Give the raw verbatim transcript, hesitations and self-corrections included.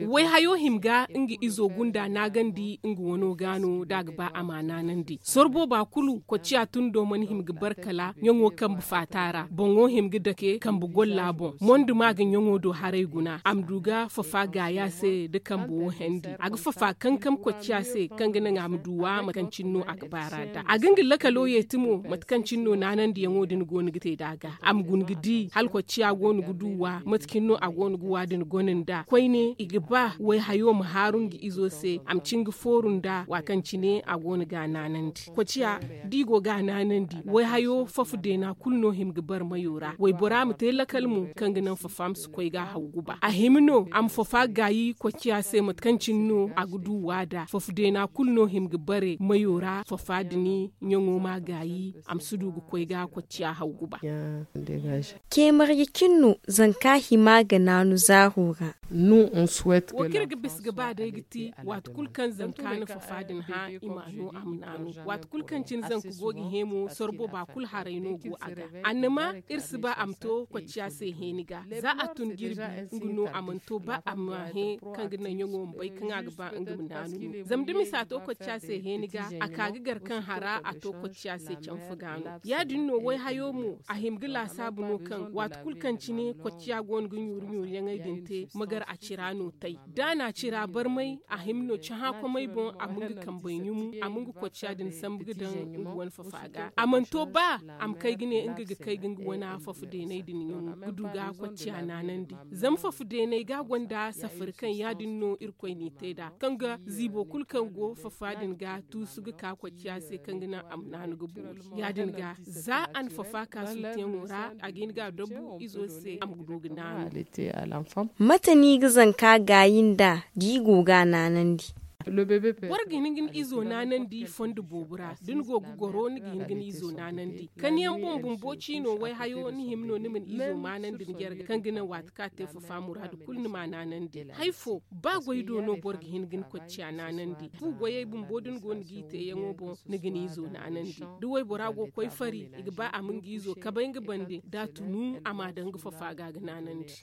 Wayhayo hima ga nga izo gunda naagandi nga wano ga no da a ga ba a ma naanandi sorbo ba kulu kocciya tundo mana hima ga bar kala ɲaŋo kambe faata ra boŋo hima ga dake kambe golla boŋ mondo ma ga ɲaŋo do haray guna a ma du ga fafa gaaya se nda kambe wo hendi a ga fafa kankam kocciya se kaŋ ga naŋ a ma du wa mate kaŋ cine no a ga ba ra nd'a a ga nga lakalo yeeti mo mate kaŋ cine no naanandiyaŋo din go no ga te nd'a ga a ma guna ga di hala kocciya go no ga du wa mate cine no a go no ga wa din gona nd'a koyne i ga ba wayhayo ma haaru nga izo se a ma cin ga fooru nd'a waati kaŋ cine a go no ga a naanandi kocciya da i go ga a naanandi wayhayo fafa deena kulu no hima ga bar mayo ra waybora ma te lakal mo kaŋ ga naŋ fafa ma si koy ga a haw guba a hima no a ma fafa gaayi kocciya se mate kaŋ cine no a ga du wa nd'a fafa deena kulu no hima ga bare mayo ra fafa din ɲaŋo ma gaayi a ma si du ga koy ga kocciya haw guba. Ceemarji cine no zanka hima ga naanu zaaro ra. Wo kaŋ iri ga bisa ga ba day ga ti waati kulu kaŋ zanka na fafa din hã i m'a no a ma naanu waati kulu kaŋ cine zanka go ga hẽ mo sorbo ba kulu haray no go a ga annama iri si ba a ma to kocciya se hẽeni ga za a tun jirbi nga no a mana to ba a ma hẽ kaŋ ga naŋ ɲaŋo ma bay kaŋ a ga ba nga ma naanu no zama da misa to kocciya se hẽeni ga a ka ga gar kaŋ hara a to kocciya se canfa ga no ya- din no wayhayo mo a hima ga laasaabu no kaŋ waati kulu kaŋ cine kocciya go no ga ɲuuri ɲuuri yaŋey din te ma gar a cira no tay da a na a cira barmay a hima no cahã komey boŋ a ma nga kambey ɲumu a ma nga kocciya din sambu ga daŋ nga wane fafa ga a mana to ba a ma kay ga ne nga ga kay ga nga wane fafa deeney din ɲumu ga du ga kocciya naanandi zama fafa deeney ga gonda safari kaŋ ya- din no irkoy n'i te nd'a kaŋ ga ziibo kulu kaŋ go fafa din ga tuusu ga ka kocciya se kaŋ ga naŋ a ma naanu ga boori ya- din ga za a na fafa ka suuteyaŋo ra a ga hin ga a dabu izo se a ma du ga naanu. Mate no i ga zanka gaayi nd'a da i go ga a naanandi? Boro ga hin ga ni izo naanandi fondo boobo ra da ni go ga goro ni ga hin ga ni izo naanandi kaniyaŋ boŋ bumbo ciino wayhayo ni hima no ni ma ni izo maanandi ni jarga kaŋ ga naŋ waati kaŋ a te fafa muraadu kulu ni m'a naanandi hari fo ba goy do no boro ga hin ga ni kocciya naanandi fu goyey bumbo da ni go ni g'i teeyaŋo boŋ ni ga ni izo naanandi da waybora go ga koy fari i ga ba a ma nga izo kabay nga bande da a tunu a m'a daŋ nga fafa ga ga naanandi.